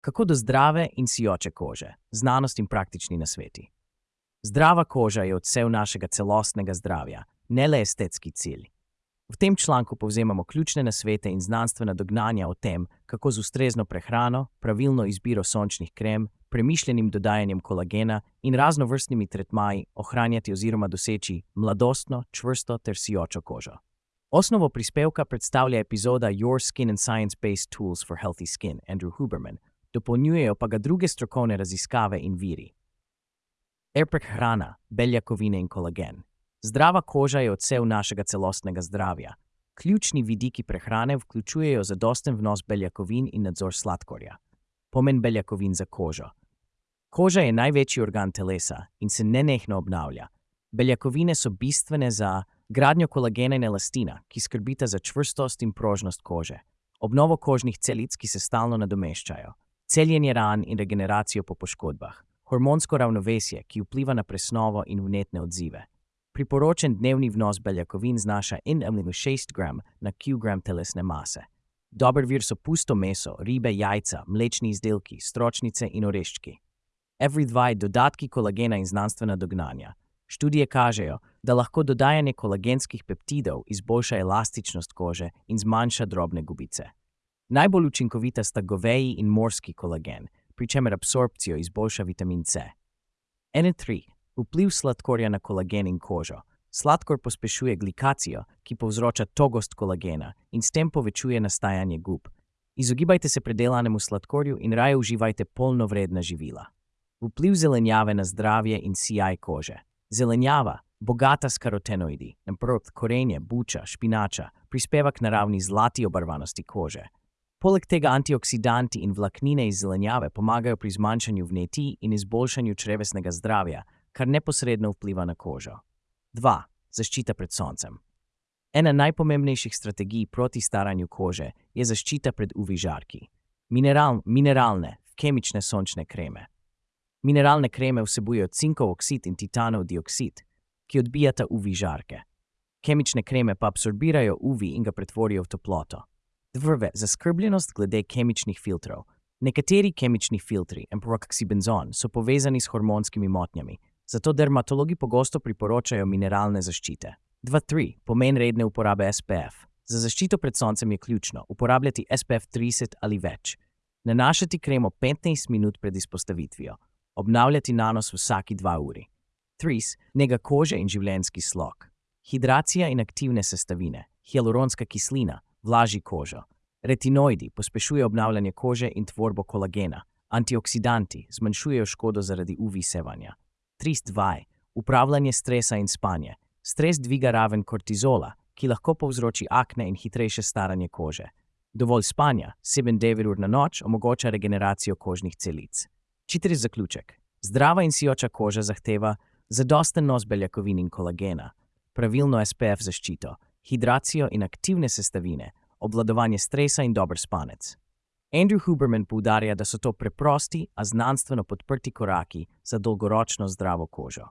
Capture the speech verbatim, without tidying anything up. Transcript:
Kako do zdrave in sijoče kože? Znanost in praktični nasveti. Zdrava koža je odsev našega celostnega zdravja, ne le estetski cilj. V tem članku povzemamo ključne nasvete in znanstvena dognanja o tem, kako z ustrezno prehrano, pravilno izbiro sončnih krem, premišljenim dodajanjem kolagena in raznovrstnimi tretmaji ohranjati oziroma doseči mladostno, čvrsto ter sijočo kožo. Osnovo prispevka predstavlja epizoda Your Skin and Science-Based Tools for Healthy Skin, Andrew Huberman, dopolnjujejo pa ga druge strokovne raziskave in viri. Prehrana, beljakovine in kolagen. Zdrava koža je odsev našega celostnega zdravja. Ključni vidiki prehrane vključujejo zadosten vnos beljakovin in nadzor sladkorja. Pomen beljakovin za kožo. Koža je največji organ telesa in se nenehno obnavlja. Beljakovine so bistvene za gradnjo kolagena in elastina, ki skrbita za čvrstost in prožnost kože, obnovo kožnih celic, ki se stalno nadomeščajo, celjenje ran in regeneracijo po poškodbah, hormonsko ravnovesje, ki vpliva na presnovo in vnetne odzive. Priporočen dnevni vnos beljakovin znaša šest gramov na kilogram telesne mase. Dober vir so pusto meso, ribe, jajca, mlečni izdelki, stročnice in oreščki. Every dva dodatki kolagena in znanstvena dognanja. Študije kažejo, da lahko dodajanje kolagenskih peptidov izboljša elastičnost kože in zmanjša drobne gubice. Najbolj učinkovita sta goveji in morski kolagen, pri čemer absorpcijo izboljša vitamin C. ena tri. Vpliv sladkorja na kolagen in kožo. Sladkor pospešuje glikacijo, ki povzroča togost kolagena in s tem povečuje nastajanje gub. Izogibajte se predelanemu sladkorju in raje uživajte polnovredna živila. Vpliv zelenjave na zdravje in sijaj kože. Zelenjava, bogata s karotenoidi, naprimer korenje, buča, špinača, prispeva k naravni zlati obarvanosti kože. Poleg tega antioksidanti in vlaknine iz zelenjave pomagajo pri zmanjšanju vnetij in izboljšanju črevesnega zdravja, kar neposredno vpliva na kožo. dva. Zaščita pred soncem. Ena najpomembnejših strategij proti staranju kože je zaščita pred U V žarki. Mineral, mineralne, kemične sončne kreme. Mineralne kreme vsebujejo cinkov oksid in titanov dioksid, ki odbijata U V žarke. Kemične kreme pa absorbirajo U V in ga pretvorijo v toploto. Dvrve, zaskrbljenost glede kemičnih filtrov. Nekateri kemični filtri, amproksibenzon, so povezani s hormonskimi motnjami, zato dermatologi pogosto priporočajo mineralne zaščite. dva tri. Pomen redne uporabe S P F. Za zaščito pred soncem je ključno uporabljati S P F trideset ali več. Nanašati kremo petnajst minut pred izpostavitvijo. Obnavljati nanos vsaki dva uri. tri. Nega kože in življenjski slog. Hidracija in aktivne sestavine. Hialuronska kislina vlaži kožo. Retinoidi pospešuje obnavljanje kože in tvorbo kolagena. Antioksidanti zmanjšujejo škodo zaradi U V sevanja. tri dva. Upravljanje stresa in spanje. Stres dviga raven kortizola, ki lahko povzroči akne in hitrejše staranje kože. Dovolj spanja, sedem do devet ur na noč, omogoča regeneracijo kožnih celic. Čitri zaključek. Zdrava in sijoča koža zahteva zadosten vnos beljakovin in kolagena, pravilno S P F zaščito, hidracijo in aktivne sestavine, obvladovanje stresa in dober spanec. Andrew Huberman poudarja, da so to preprosti, a znanstveno podprti koraki za dolgoročno zdravo kožo.